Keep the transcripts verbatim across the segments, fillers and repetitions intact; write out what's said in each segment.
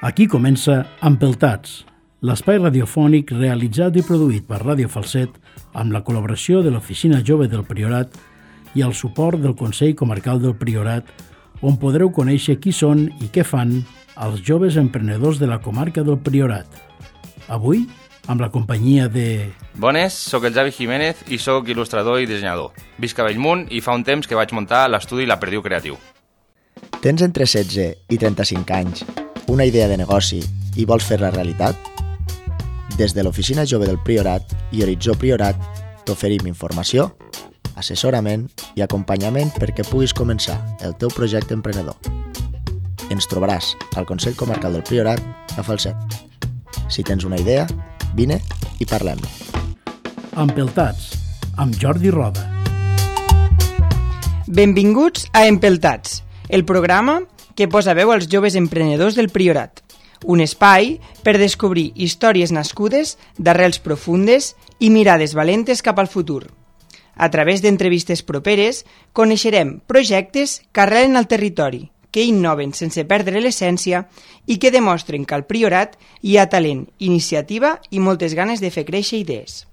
Aquí comença Empeltats, l'espai radiofònic realitzat i produït per Ràdio Falset amb la col·laboració de l'Oficina Jove del Priorat i el suport del Consell Comarcal del Priorat, on podreu conèixer qui són i què fan els joves emprenedors de la comarca del Priorat. Avui, amb la companyia de... Bones, sóc el Javi Jiménez i sóc il·lustrador i dissenyador. Visc a Bellmunt i fa un temps que vaig muntar l'estudi La Perdiu Creatiu. Tens entre setze i trenta-cinc anys, una idea de negoci i vols fer-la realitat? Des de l'Oficina Jove del Priorat i Horitzó Priorat t'oferim informació, assessorament i acompanyament perquè puguis començar el teu projecte emprenedor. Ens trobaràs al Consell Comarcal del Priorat a Falset. Si tens una idea, vine i parlem. Empeltats, amb Jordi Roda. Benvinguts a Empeltats, el programa que posa veu als joves emprenedors del Priorat. Un espai per descobrir històries nascudes d'arrels profundes i mirades valentes cap al futur. A través d'entrevistes properes, coneixerem projectes que arrelen al territori, que innoven sense perdre l'essència i que demostren que al Priorat hi ha talent, iniciativa i moltes ganes de fer créixer idees.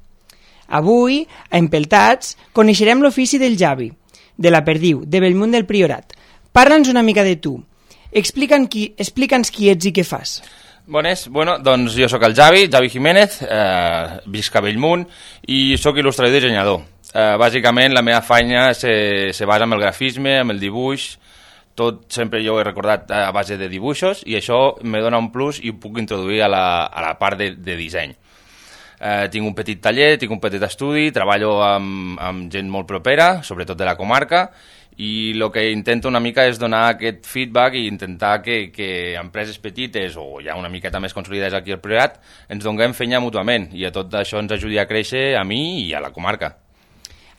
Avui, a Empeltats, coneixerem l'ofici del Javi, de la Perdiu, de Bellmunt del Priorat. Parla'ns una mica de tu. Explica'ns qui, explica'ns qui ets i què fas. Bones, bueno, doncs jo sóc el Javi, Javi Jiménez, eh, visc a Bellmunt i sóc il·lustrador i dissenyador. Eh, bàsicament la meva feina se, se basa en el grafisme, en el dibuix, tot sempre jo he recordat a base de dibuixos i això me dona un plus i ho puc introduir a la, a la part de, de disseny. Eh, tinc un petit taller, tinc un petit estudi, treballo amb, amb gent molt propera, sobretot de la comarca, i el que intento una mica és donar aquest feedback i intentar que, que empreses petites o ja una miqueta més consolidades aquí al Priorat ens donem feina mútuament i a tot això ens ajudi a créixer a mi i a la comarca.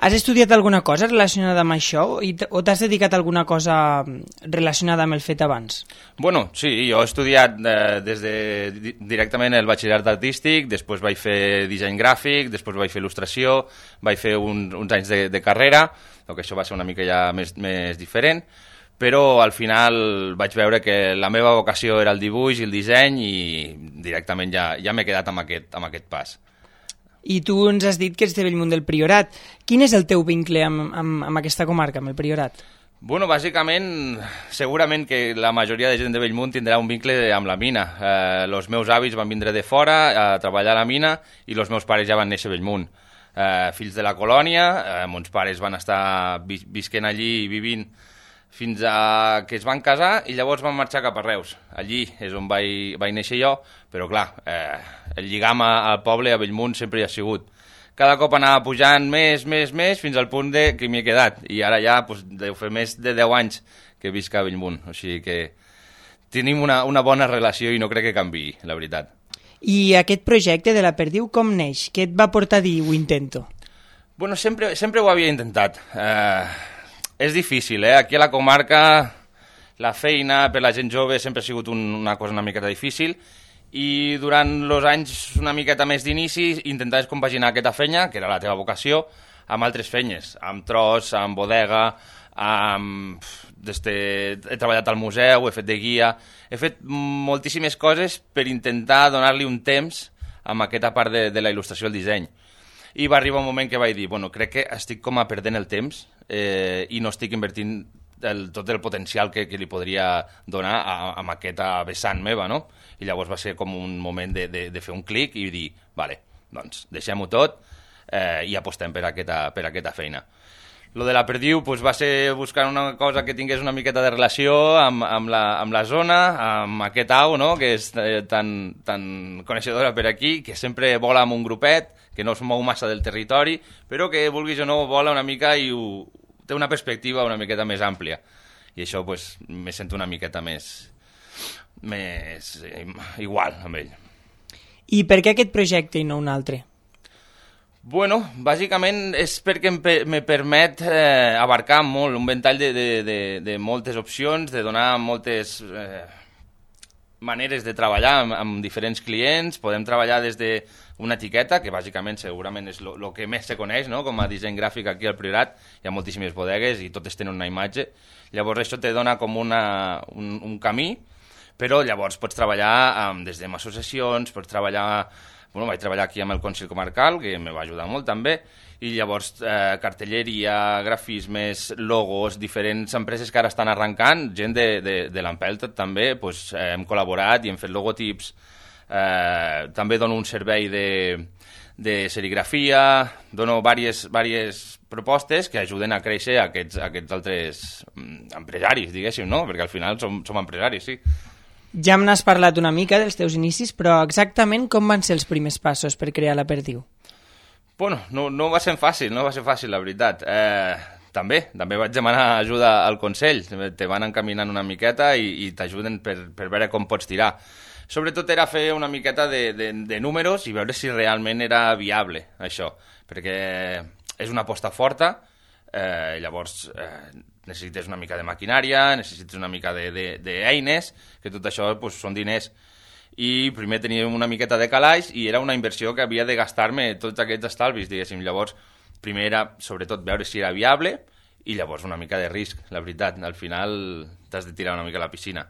Has estudiat alguna cosa relacionada amb això o t'has dedicat a alguna cosa relacionada amb el fet abans? Bueno, sí, jo he estudiat eh, des de directament el batxillerat artístic, després vaig fer disseny gràfic, després vaig fer il·lustració, vaig fer un, uns anys de, de carrera, que això va ser una mica ja més, més diferent, però al final vaig veure que la meva vocació era el dibuix i el disseny i directament ja, ja m'he quedat amb aquest, amb aquest pas. I tu ens has dit que ets de Bellmunt del Priorat. Quin és el teu vincle amb, amb, amb aquesta comarca, amb el Priorat? Bueno, bàsicament, segurament que la majoria de gent de Bellmunt tindrà un vincle amb la mina. Eh, els meus avis van vindre de fora a treballar a la mina i els meus pares ja van néixer a Bellmunt. Eh, fills de la colònia, eh, mons pares van estar vis visquent allí i vivint fins a que es van casar i llavors van marxar cap a Reus. Allí és on vaig, vaig néixer jo, però clar, eh, el lligam al poble, a Bellmunt, sempre hi ha sigut. Cada cop anava pujant més, més, més, fins al punt de que m'hi he quedat. I ara ja doncs, deu fer més de deu anys que visc a Bellmunt. O sigui que tenim una, una bona relació i no crec que canviï, la veritat. I aquest projecte de la Perdiu com neix? Què et va portar a dir ho intento? Bueno, sempre, sempre ho havia intentat. Eh, és difícil, eh? Aquí a la comarca la feina per la gent jove sempre ha sigut un, una cosa una miqueta difícil i durant els anys una miqueta més d'inici intentaves compaginar aquesta feina, que era la teva vocació, amb altres feines, amb tros, amb bodega, amb... Desde... he treballat al museu, he fet de guia, he fet moltíssimes coses per intentar donar-li un temps amb aquesta part de, de la il·lustració i el disseny. I va arribar un moment que vaig dir, bueno, crec que estic com a perdent el temps eh, i no estic invertint el, tot el potencial que, que li podria donar a, a aquesta vessant meva, no? I llavors va ser com un moment de, de, de fer un clic i dir, vale, doncs deixem-ho tot eh, i apostem per aquesta, per aquesta feina. Lo de la Perdiu pues, va ser buscar una cosa que tingués una miqueta de relació amb, amb, la, amb la zona, amb aquest au, no? Que és eh, tan, tan coneixedora per aquí, que sempre vola amb un grupet, que no es mou massa del territori, però que, vulguis o no, vola una mica i ho, té una perspectiva una miqueta més àmplia. I això pues, me sento una miqueta més, més eh, igual amb ell. I per què aquest projecte i no un altre? Bueno, bàsicament és perquè em, me permet eh, abarcar molt, un ventall de, de, de, de moltes opcions, de donar moltes eh, maneres de treballar amb, amb diferents clients. Podem treballar des d'una etiqueta, que bàsicament segurament és el que més se coneix, no? Com a disseny gràfic aquí al Priorat, hi ha moltíssimes bodegues i totes tenen una imatge. Llavors això te dona com una, un, un camí però llavors pots treballar um, des amb associacions, pots treballar... Bueno, vaig treballar aquí amb el Consell Comarcal, que me va ajudar molt també, i llavors eh, cartelleria, grafismes, logos, diferents empreses que ara estan arrencant, gent de, de, de l'Empelt també, pues, eh, hem col·laborat i hem fet logotips, eh, també dono un servei de, de serigrafia, dono diverses, diverses propostes que ajuden a créixer aquests, aquests altres empresaris, diguéssim, no? Perquè al final som, som empresaris, sí. Ja me n'has parlat una mica dels teus inicis, però exactament com van ser els primers passos per crear la Perdiu? Bueno, no, no va ser fàcil, no va ser fàcil, la veritat. Eh, també, també vaig demanar ajuda al Consell, te van encaminant una miqueta i, i t'ajuden per, per veure com pots tirar. Sobretot era fer una miqueta de, de, de números i veure si realment era viable, això, perquè és una aposta forta, eh, llavors... Eh, necessites una mica de maquinària, necessites una mica d'eines, que tot això pues, són diners. I primer tenia una miqueta de calaix i era una inversió que havia de gastar-me tots aquests estalvis, diguéssim. Llavors, primer era, sobretot, veure si era viable i llavors una mica de risc, la veritat. Al final t'has de tirar una mica a la piscina.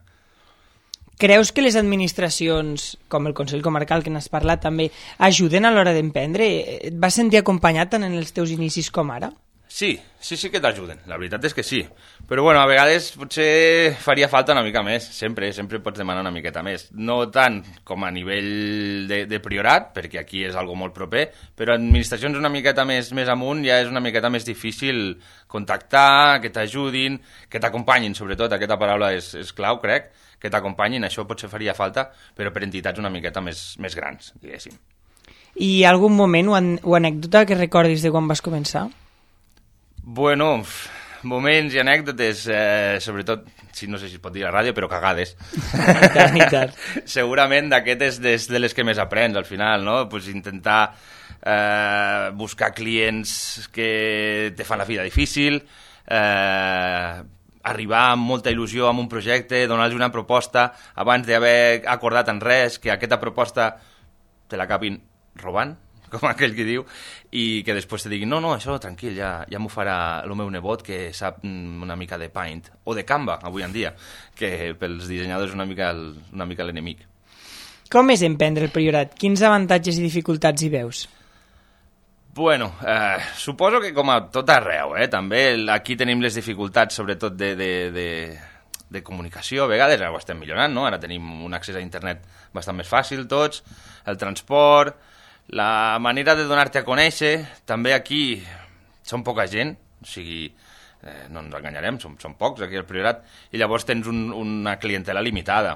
Creus que les administracions, com el Consell Comarcal, que n'has parlat també, ajuden a l'hora d'emprendre? Et vas sentir acompanyat tant en els teus inicis com ara? Sí, sí, sí que t'ajuden, la veritat és que sí. Però bueno, a vegades potser faria falta una mica més, sempre, sempre pots demanar una miqueta més. No tant com a nivell de, de priorat, perquè aquí és algo molt proper, però administracions una miqueta més, més amunt ja és una miqueta més difícil contactar, que t'ajudin, que t'acompanyin, sobretot, aquesta paraula és, és clau, crec, que t'acompanyin, això potser faria falta, però per entitats una miqueta més, més grans, diguéssim. I algun moment o, an o anècdota que recordis de quan vas començar? Bueno, moments i anècdotes, eh, sobretot, si no sé si es pot dir a la ràdio, però cagades. I tant, i tant. Segurament d'aquestes és de les que més aprens al final, no? Pues intentar eh, buscar clients que te fan la vida difícil, eh, arribar amb molta il·lusió amb un projecte, donar-los una proposta abans d'haver acordat en res, que aquesta proposta te l'acabin robant, com aquell que diu, i que després te diguin no, no, això tranquil, ja, ja m'ho farà el meu nebot que sap una mica de Paint, o de Canva, avui en dia, que pels dissenyadors és una mica el, una mica l'enemic. Com és emprendre el Priorat? Quins avantatges i dificultats hi veus? Bueno, eh, suposo que com a tot arreu, eh, també aquí tenim les dificultats, sobretot de, de, de, de comunicació, a vegades ara ho estem millorant, no? Ara tenim un accés a internet bastant més fàcil tots, el transport... La manera de donar-te a conèixer, també aquí som poca gent, o sigui, eh, no ens enganyarem, som, som pocs aquí al Priorat, i llavors tens un, una clientela limitada.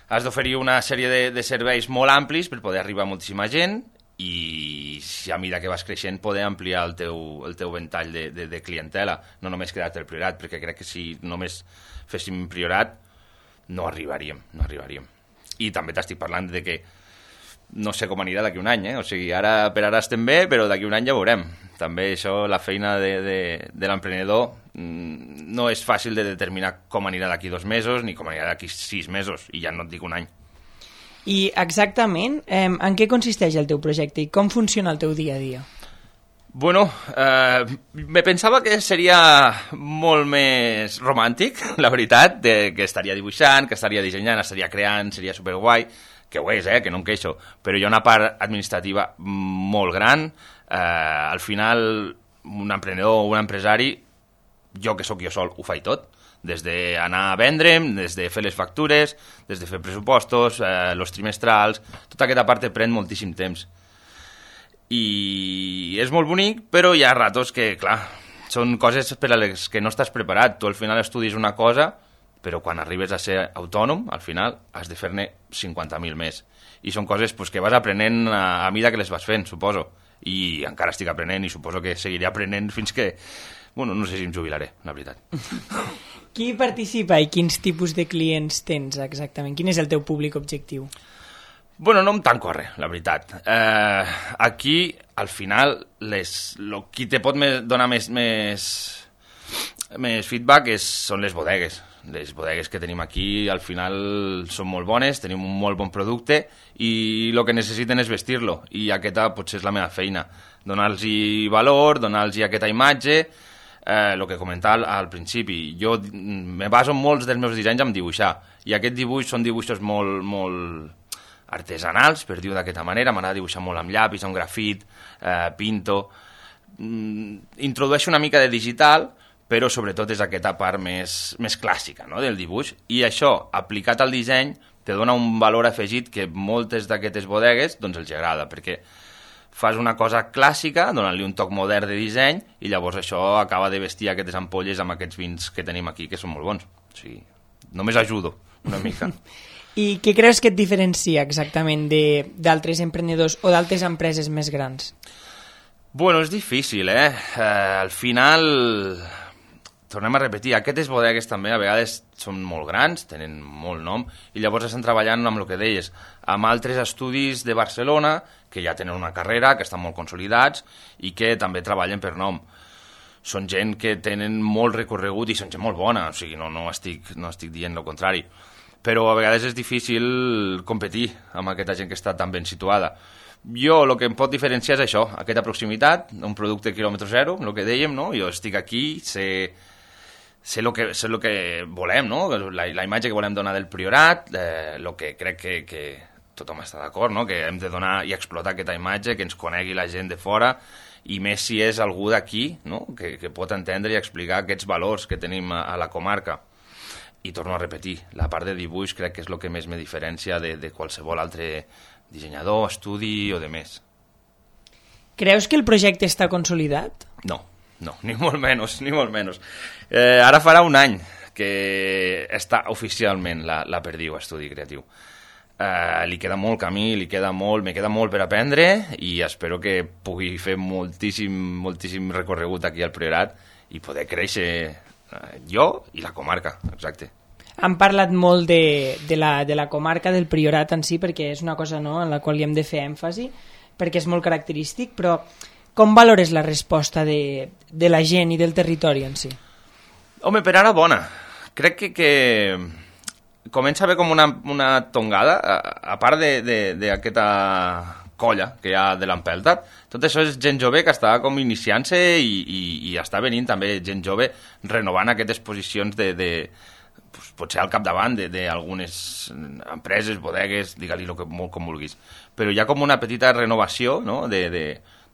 Has d'oferir una sèrie de, de serveis molt amplis per poder arribar a moltíssima gent i si a mesura que vas creixent poder ampliar el teu, el teu ventall de, de, de clientela, no només quedar-te al Priorat, perquè crec que si només féssim Priorat no arribaríem, no arribaríem. I també t'estic parlant de que no sé com anirà d'aquí un any, eh? O sigui, ara per ara estem bé, però d'aquí un any ja veurem. També això, la feina de, de, de l'emprenedor no és fàcil de determinar com anirà d'aquí dos mesos ni com anirà d'aquí sis mesos, i ja no et dic un any. I exactament, eh, en què consisteix el teu projecte i com funciona el teu dia a dia? Bueno, eh, me pensava que seria molt més romàntic, la veritat, de, que estaria dibuixant, que estaria dissenyant, estaria creant, seria superguai, que ho és, eh, que no em queixo, però hi ha una part administrativa molt gran. Eh, al final, un emprenedor o un empresari, jo que sóc jo sol, ho faig tot, des d'anar a vendre'm, des de fer les factures, des de fer pressupostos, eh, los trimestrals, tota aquesta part te pren moltíssim temps. I és molt bonic, però hi ha ratos que, clar, són coses per a les que no estàs preparat. Tu al final estudis una cosa, però quan arribes a ser autònom, al final has de fer-ne cinquanta mil més. I són coses pues, que vas aprenent a, a mida que les vas fent, suposo. I encara estic aprenent i suposo que seguiré aprenent fins que... Bueno, no sé si em jubilaré, la veritat. Qui participa i quins tipus de clients tens exactament? Quin és el teu públic objectiu? Bueno, no em tanco a res, la veritat. Eh, aquí, al final, les, lo, qui te pot me, donar més, més, més feedback és, són les bodegues. Les bodegues que tenim aquí, al final, són molt bones, tenim un molt bon producte i el que necessiten és vestir-lo. I aquesta potser és la meva feina. Donar-los valor, donar-los aquesta imatge, eh, el que comentava al, al principi, jo me baso molts dels meus dissenys en dibuixar, i aquests dibuixos són dibuixos molt, molt artesanals, per dir-ho d'aquesta manera. M'agrada dibuixar molt amb llapis, amb grafit, eh, pinto... Mm, introdueixo una mica de digital, però sobretot és aquesta part més, més clàssica, no?, del dibuix, i això, aplicat al disseny, te dona un valor afegit que moltes d'aquestes bodegues doncs els agrada, perquè fas una cosa clàssica, donant-li un toc modern de disseny, i llavors això acaba de vestir aquestes ampolles amb aquests vins que tenim aquí, que són molt bons. O sigui, només ajudo una mica. I què creus que et diferencia exactament d'altres emprenedors o d'altres empreses més grans? Bueno, és difícil, eh? eh al final... Tornem a repetir, aquestes bodegues també a vegades són molt grans, tenen molt nom, i llavors estan treballant amb el que deies, amb altres estudis de Barcelona, que ja tenen una carrera, que estan molt consolidats, i que també treballen per nom. Són gent que tenen molt recorregut i són gent molt bona, o sigui, no, no, estic, no estic dient el contrari. Però a vegades és difícil competir amb aquesta gent que està tan ben situada. Jo, el que em pot diferenciar és això, aquesta proximitat, un producte quilòmetre zero, el que dèiem, no? Jo estic aquí, sé... sé el que, sé lo que volem, no? La, la imatge que volem donar del Priorat, eh, el que crec que, que tothom està d'acord, no? Que hem de donar i explotar aquesta imatge, que ens conegui la gent de fora, i més si és algú d'aquí, no? Que, que pot entendre i explicar aquests valors que tenim a, a la comarca. I torno a repetir, la part de dibuix crec que és el que més me diferencia de, de qualsevol altre dissenyador, estudi o de més. Creus que el projecte està consolidat? No. No, ni molt menys, ni molt menys. Eh, ara farà un any que està oficialment la, la Perdiu Estudi Creatiu. Eh, li queda molt camí, li queda molt, me queda molt per aprendre, i espero que pugui fer moltíssim, moltíssim recorregut aquí al Priorat i poder créixer eh, jo i la comarca, exacte. Han parlat molt de, de, la, de la comarca del Priorat en si, perquè és una cosa, no?, en la qual hi hem de fer èmfasi, perquè és molt característic, però com valores la resposta de, de la gent i del territori en si? Home, per ara bona. Crec que, que comença a haver com una, una tongada, a, a part d'aquesta colla que hi ha de l'Empeltat. Tot això és gent jove que està com iniciant-se i, i, i està venint també gent jove renovant aquestes posicions de... de pues, potser al capdavant d'algunes empreses, bodegues, digue-li el que molt com vulguis. Però hi ha com una petita renovació, no?, de... de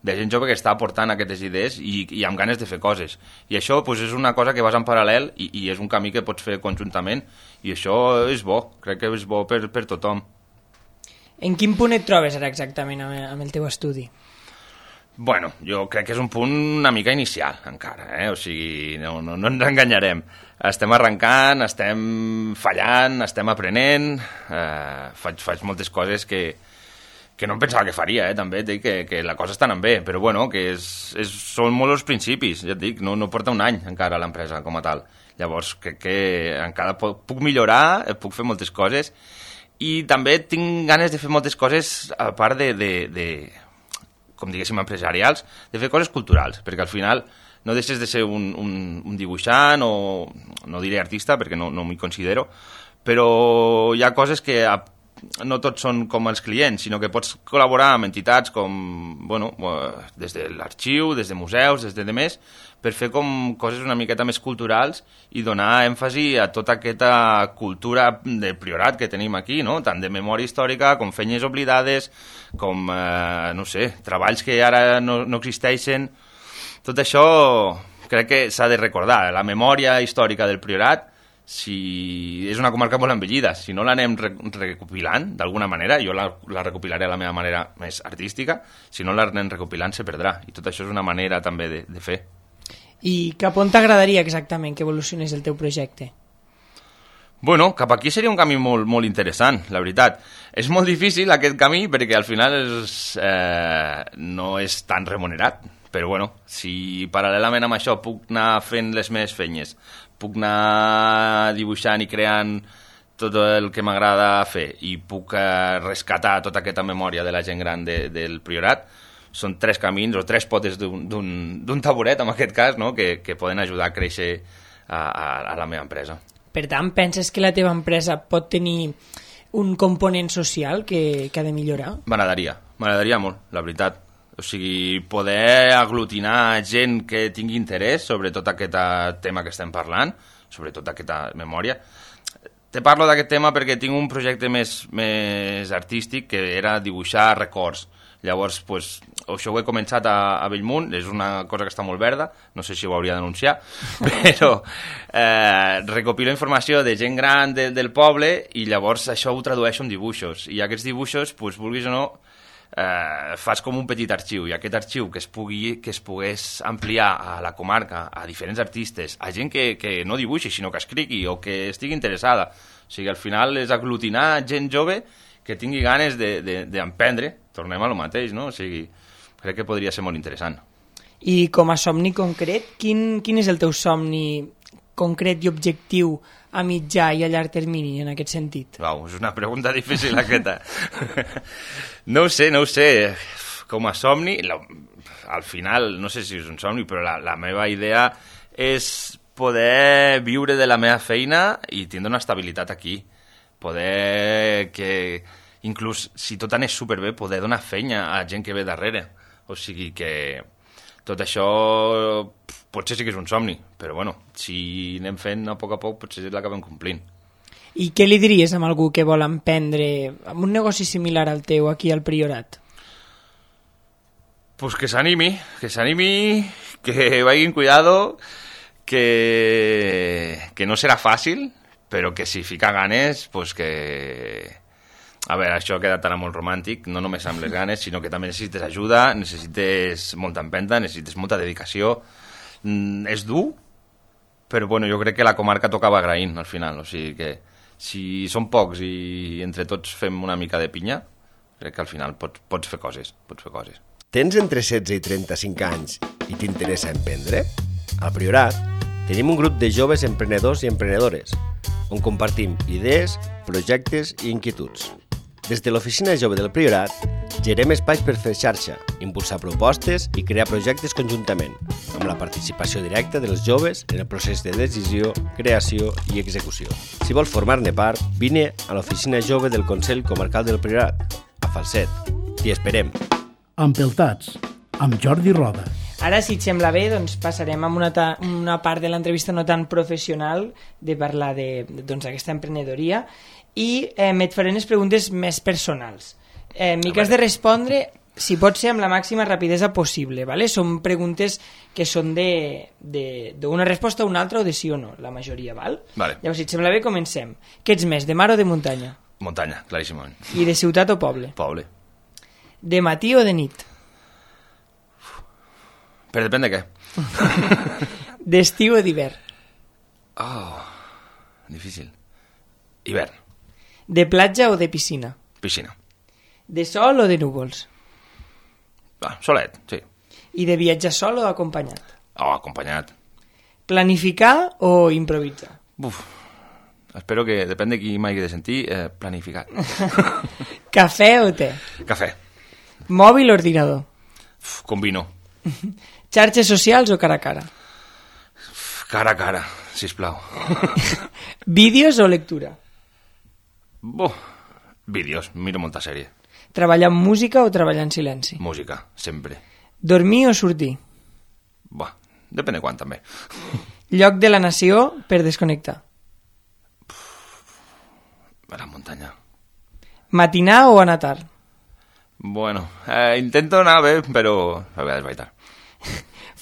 de gent jove que està aportant aquestes idees i, i amb ganes de fer coses. I això pues, és una cosa que vas en paral·lel i, i és un camí que pots fer conjuntament, i això és bo, crec que és bo per, per tothom. En quin punt et trobes ara exactament amb, amb el teu estudi? Bueno, jo crec que és un punt una mica inicial encara, eh? O sigui, no, no, no ens enganyarem. Estem arrencant, estem fallant, estem aprenent, eh, faig, faig moltes coses que que no em pensava que faria, eh, també, et dic que, que la cosa està anant bé, però bueno, que és, és, són molt els principis, ja et dic, no, no porta un any encara l'empresa com a tal. Llavors crec que encara puc, puc millorar, puc fer moltes coses, i també tinc ganes de fer moltes coses a part de, de, de com diguéssim, empresarials, de fer coses culturals, perquè al final no deixes de ser un, un, un dibuixant o, no diré artista, perquè no, no m'hi considero, però hi ha coses que a no tots són com els clients, sinó que pots col·laborar amb entitats com, bueno, des de l'arxiu, des de museus, des de demés, per fer com coses una miqueta més culturals i donar èmfasi a tota aquesta cultura del Priorat que tenim aquí, no?, tant de memòria històrica com feines oblidades, com, eh, no sé, treballs que ara no, no existeixen. Tot això crec que s'ha de recordar. La memòria històrica del Priorat, si és una comarca molt envellida, si no l'anem re recopilant d'alguna manera, jo la, la recopilaré a la meva manera més artística, si no l'anem recopilant se perdrà, i tot això és una manera també de, de fer. I cap on t'agradaria exactament que evolucionés el teu projecte? Bueno, cap aquí seria un camí molt, molt interessant, la veritat. És molt difícil aquest camí perquè al final és, eh, no és tan remunerat, però bueno, si paral·lelament amb això puc anar fent les meves feines, puc anar dibuixant i creant tot el que m'agrada fer i puc eh, rescatar tota aquesta memòria de la gent gran de, del Priorat, són tres camins o tres potes d'un taburet, en aquest cas, no?, que, que poden ajudar a créixer a, a, a la meva empresa. Per tant, penses que la teva empresa pot tenir un component social que, que ha de millorar? M'agradaria, m'agradaria molt, la veritat. O sigui, poder aglutinar gent que tingui interès sobre tot aquest tema que estem parlant, sobretot aquesta memòria. Te parlo d'aquest tema perquè tinc un projecte més, més artístic que era dibuixar records. Llavors, pues, això ho he començat a, a Bellmunt, és una cosa que està molt verda, no sé si ho hauria d'anunciar, però eh, recopilo informació de gent gran de, del poble i llavors això ho tradueixo en dibuixos. I aquests dibuixos, pues, vulguis o no, eh, fas com un petit arxiu, i aquest arxiu que es, pugui, que es pogués ampliar a la comarca, a diferents artistes, a gent que, que no dibuixi, sinó que escrigui o que estigui interessada. O sigui, al final és aglutinar gent jove que tingui ganes d'emprendre, de, de, tornem a lo mateix, no? O sigui, crec que podria ser molt interessant. I com a somni concret, quin, quin és el teu somni concret i objectiu a mitjà i a llarg termini en aquest sentit? Uau, és una pregunta difícil aquesta. No ho sé, no ho sé. Com a somni, la, al final, no sé si és un somni, però la, la meva idea és poder viure de la meva feina i tindre una estabilitat aquí. Poder que, inclús si tot anés superbé, poder donar feina a gent que ve darrere. O sigui que tot això potser sí que és un somni, però bueno, si anem fent a poc a poc potser l'acabem complint. I què li diries a algú que vol emprendre amb un negoci similar al teu aquí al Priorat? Pues que s'animi, que s'animi, que vagin cuidado, que, que no serà fàcil, però que si fica ganes, pues que... A veure, això ha quedat ara molt romàntic, no només amb les ganes, sinó que també necessites ajuda, necessites molta empenta, necessites molta dedicació. Mm, és dur, però bueno, jo crec que la comarca tocava agraint al final, o sigui que si som pocs i entre tots fem una mica de pinya, crec que al final pots, pots fer coses, pots fer coses. Tens entre setze i trenta-cinc anys i t'interessa emprendre? Al Priorat tenim un grup de joves emprenedors i emprenedores on compartim idees, projectes i inquietuds. Des de l'Oficina Jove del Priorat gerem espais per fer xarxa, impulsar propostes i crear projectes conjuntament, amb la participació directa dels joves en el procés de decisió, creació i execució. Si vols formar-ne part, vine a l'Oficina Jove del Consell Comarcal del Priorat, a Falset. T'hi esperem. Empeltats, amb Jordi Roda. Ara, si et sembla bé, doncs passarem a una, ta, una part de l'entrevista no tan professional de parlar d'aquesta doncs, emprenedoria i eh, et faré unes preguntes més personals. Eh, M'hi has de respondre, si pot ser, amb la màxima rapidesa possible. ¿vale? Són preguntes que són d'una resposta a una altra o de sí o no, la majoria. Val? Vale. Llavors, si et sembla bé, comencem. Què ets més, de mar o de muntanya? Muntanya, claríssimament. I de ciutat o poble? Poble. De matí o de nit? Però depèn de què. D'estiu o d'hivern? Oh, difícil. Hivern. De platja o de piscina? Piscina. De sol o de núvols? Ah, solet, sí. I de viatjar sol o acompanyat? Oh, acompanyat. Planificar o improvisar? Uf, espero que, depèn de qui m'hagi de sentir, eh, planificat. Cafè o te? Cafè. Mòbil o ordinador? Uf, combino. Xarxes socials o cara a cara? Uf, cara a cara, sisplau. Vídeos o lectura? Buh, vídeos, miro molta sèrie. Treballar amb música o treballar en silenci? Música, sempre. Dormir o sortir? Buah, depèn de quan també. Lloc de la nació per desconnectar? A la muntanya. Matinar o anar tard? Bueno, eh, intento anar bé, però a vegades vaig tard.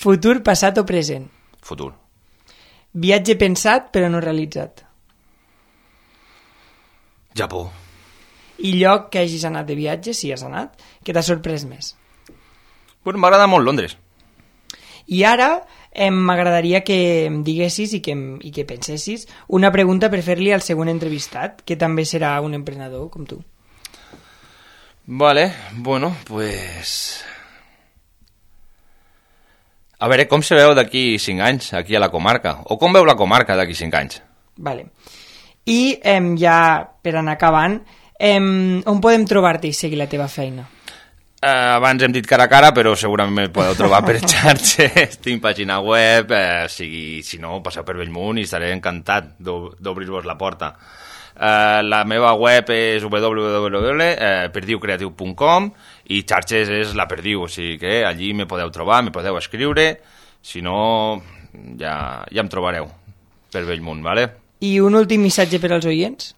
Futur, passat o present? Futur. Viatge pensat però no realitzat? Japó. I lloc que hagis anat de viatge, si has anat, que t'ha sorprès més? Bueno, m'agrada molt Londres. I ara eh, m'agradaria que em diguessis i que, i que pensessis una pregunta per fer-li al següent entrevistat, que també serà un emprenedor com tu. Vale, bueno, pues... A veure, com se veu d'aquí cinc anys, aquí a la comarca? O com veu la comarca d'aquí cinc anys? Vale. I eh, ja, per anar acabant, eh, on podem trobar-te i seguir la teva feina? Eh, abans hem dit cara a cara, però segurament me podeu trobar per xarxes, tinc pàgina web, eh, sigui, si no, passeu per Bellmunt i estaré encantat d'obrir-vos la porta. Uh, la meva web és w w w punt perdiu creatiu punt com i xarxes és la Perdiu, o sigui que allí me podeu trobar, me podeu escriure, si no ja, ja em trobareu per Bellmunt, ¿vale? I un últim missatge per als oients?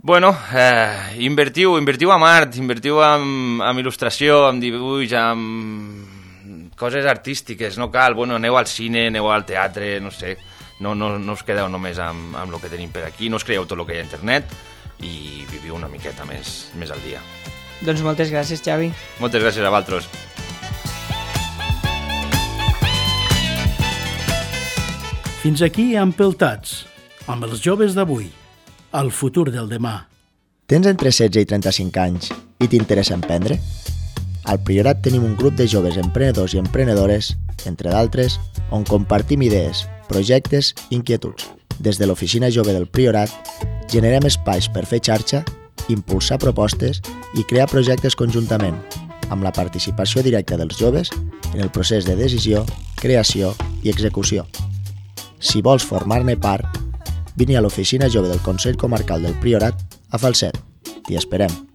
Bueno, eh, invertiu, invertiu en art, invertiu en, en il·lustració, en dibuix, en coses artístiques, no cal, bueno, aneu al cine, aneu al teatre, no sé, no, no, no us quedeu només amb, amb el que tenim per aquí, no us creieu tot el que hi ha a internet i viviu una miqueta més, més al dia. Doncs moltes gràcies, Xavi. Moltes gràcies a vosaltres. Fins aquí Empeltats, amb els joves d'avui, el futur del demà. Tens entre setze i trenta-cinc anys i t'interessa emprendre? Al Priorat tenim un grup de joves emprenedors i emprenedores, entre d'altres, on compartim idees, projectes i inquietuds. Des de l'Oficina Jove del Priorat generem espais per fer xarxa, impulsar propostes i crear projectes conjuntament, amb la participació directa dels joves en el procés de decisió, creació i execució. Si vols formar-ne part, vine a l'Oficina Jove del Consell Comarcal del Priorat a Falset. T'hi esperem.